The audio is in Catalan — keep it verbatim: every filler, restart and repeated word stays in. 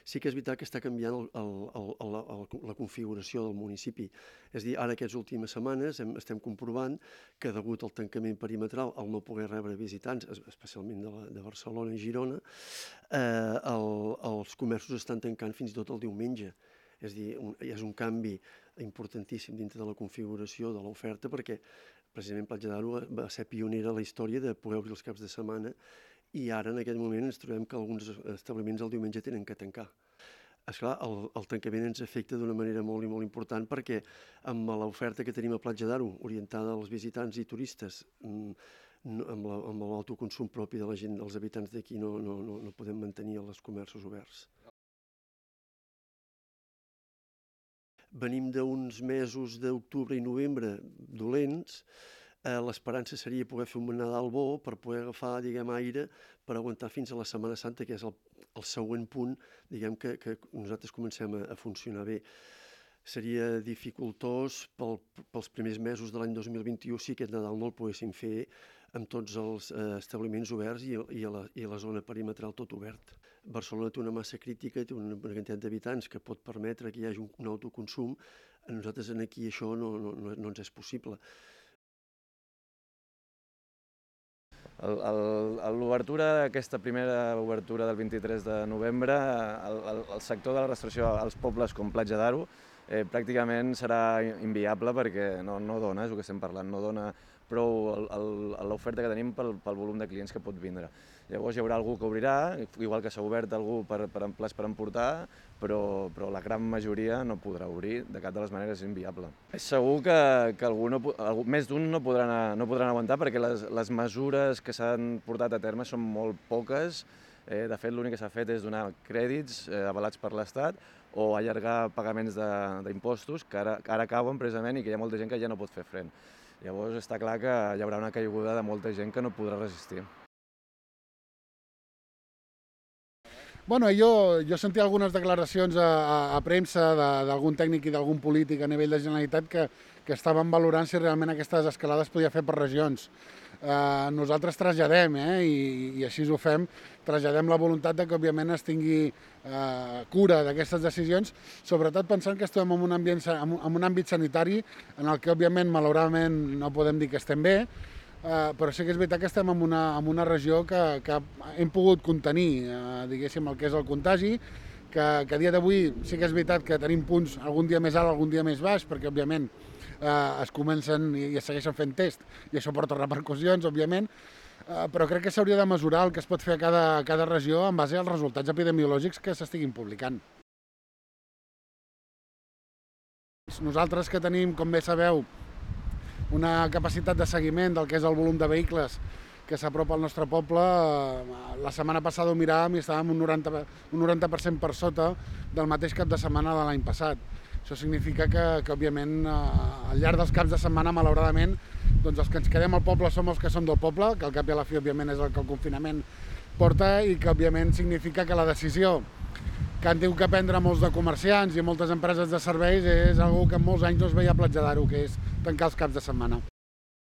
sí que és veritat que està canviant el, el, el, el, el, la configuració del municipi. És a dir, ara aquestes últimes setmanes hem, estem comprovant que degut al tancament perimetral, al no poder rebre visitants, especialment de, la, de Barcelona i Girona, eh, el, els comerços estan tancant fins i tot el diumenge. És a dir, un, és un canvi importantíssim dintre de la configuració de l'oferta perquè precisament Platja d'Aro va ser pionera a la història de poder obrir els caps de setmana i ara en aquest moment ens trobem que alguns establiments el diumenge tenen que tancar. Esclar, el, el tancament ens afecta d'una manera molt i molt important perquè amb l'oferta que tenim a Platja d'Aro, orientada als visitants i turistes, amb l'autoconsum propi de la gent, dels habitants d'aquí, no, no, no, no podem mantenir els comerços oberts. Venim d'uns mesos d'octubre i novembre dolents. Eh, L'esperança seria poder fer un Nadal bo per poder agafar, diguem, aire per aguantar fins a la Setmana Santa, que és el, el següent punt, diguem, que, que nosaltres comencem a, a funcionar bé. Seria dificultós pel, pels primers mesos de l'any dos mil vint-i-u si aquest Nadal no el poguéssim fer amb tots els eh, establiments oberts i, i, a la, i a la zona perimetral tot obert. Barcelona té una massa crítica, té una, una quantitat d'habitants que pot permetre que hi hagi un, un autoconsum. A nosaltres aquí això no, no, no, no ens és possible. L'obertura, aquesta primera obertura del vint-i-tres de novembre, el, el, el sector de la restauració als pobles com Platja d'Aro eh, pràcticament serà inviable perquè no, no dona, és el que estem parlant, no dona prou l'oferta que tenim pel, pel volum de clients que pot vindre. Llavors hi haurà algú que obrirà, igual que s'ha obert algú per, per plats per emportar, però, però la gran majoria no podrà obrir, de cap de les maneres és inviable. És segur que, que algú no, algú, més d'un no, podran, no podran aguantar perquè les, les mesures que s'han portat a terme són molt poques. Eh, de fet, l'únic que s'ha fet és donar crèdits eh, avalats per l'Estat o allargar pagaments d'impostos que ara, que ara cauen precisament i que hi ha molta gent que ja no pot fer front. Llavors està clar que hi haurà una caiguda de molta gent que no podrà resistir. Bueno, jo, jo sentia algunes declaracions a, a, a premsa d'algun tècnic i d'algun polític a nivell de Generalitat que, que estaven valorant si realment aquestes escalades podia fer per regions. Eh, nosaltres traslladem, eh, i, i així ho fem, traslladem la voluntat de que òbviament es tingui eh, cura d'aquestes decisions, sobretot pensant que estem en un, ambient, en un àmbit sanitari en el que òbviament malauradament no podem dir que estem bé, Uh, però sí que és veritat que estem en una, en una regió que, que hem pogut contenir, uh, diguéssim, el que és el contagi, que, que a dia d'avui sí que és veritat que tenim punts algun dia més alt, algun dia més baix, perquè òbviament uh, es comencen i, i es segueixen fent test i això porta repercussions, òbviament, uh, però crec que s'hauria de mesurar el que es pot fer a cada, a cada regió en base als resultats epidemiològics que s'estiguin publicant. Nosaltres que tenim, com bé sabeu, una capacitat de seguiment del que és el volum de vehicles que s'apropa al nostre poble. La setmana passada ho miràvem i estàvem un noranta, un noranta per cent per sota del mateix cap de setmana de l'any passat. Això significa que, que òbviament, al llarg dels caps de setmana, malauradament, doncs els que ens quedem al poble som els que som del poble, que al cap i a la fi, òbviament, és el que el confinament porta i que, òbviament, significa que la decisió que han tingut que prendre molts de comerciants i moltes empreses de serveis és una que en molts anys no es veia a Platja d'Aro, que és tancar els caps de setmana.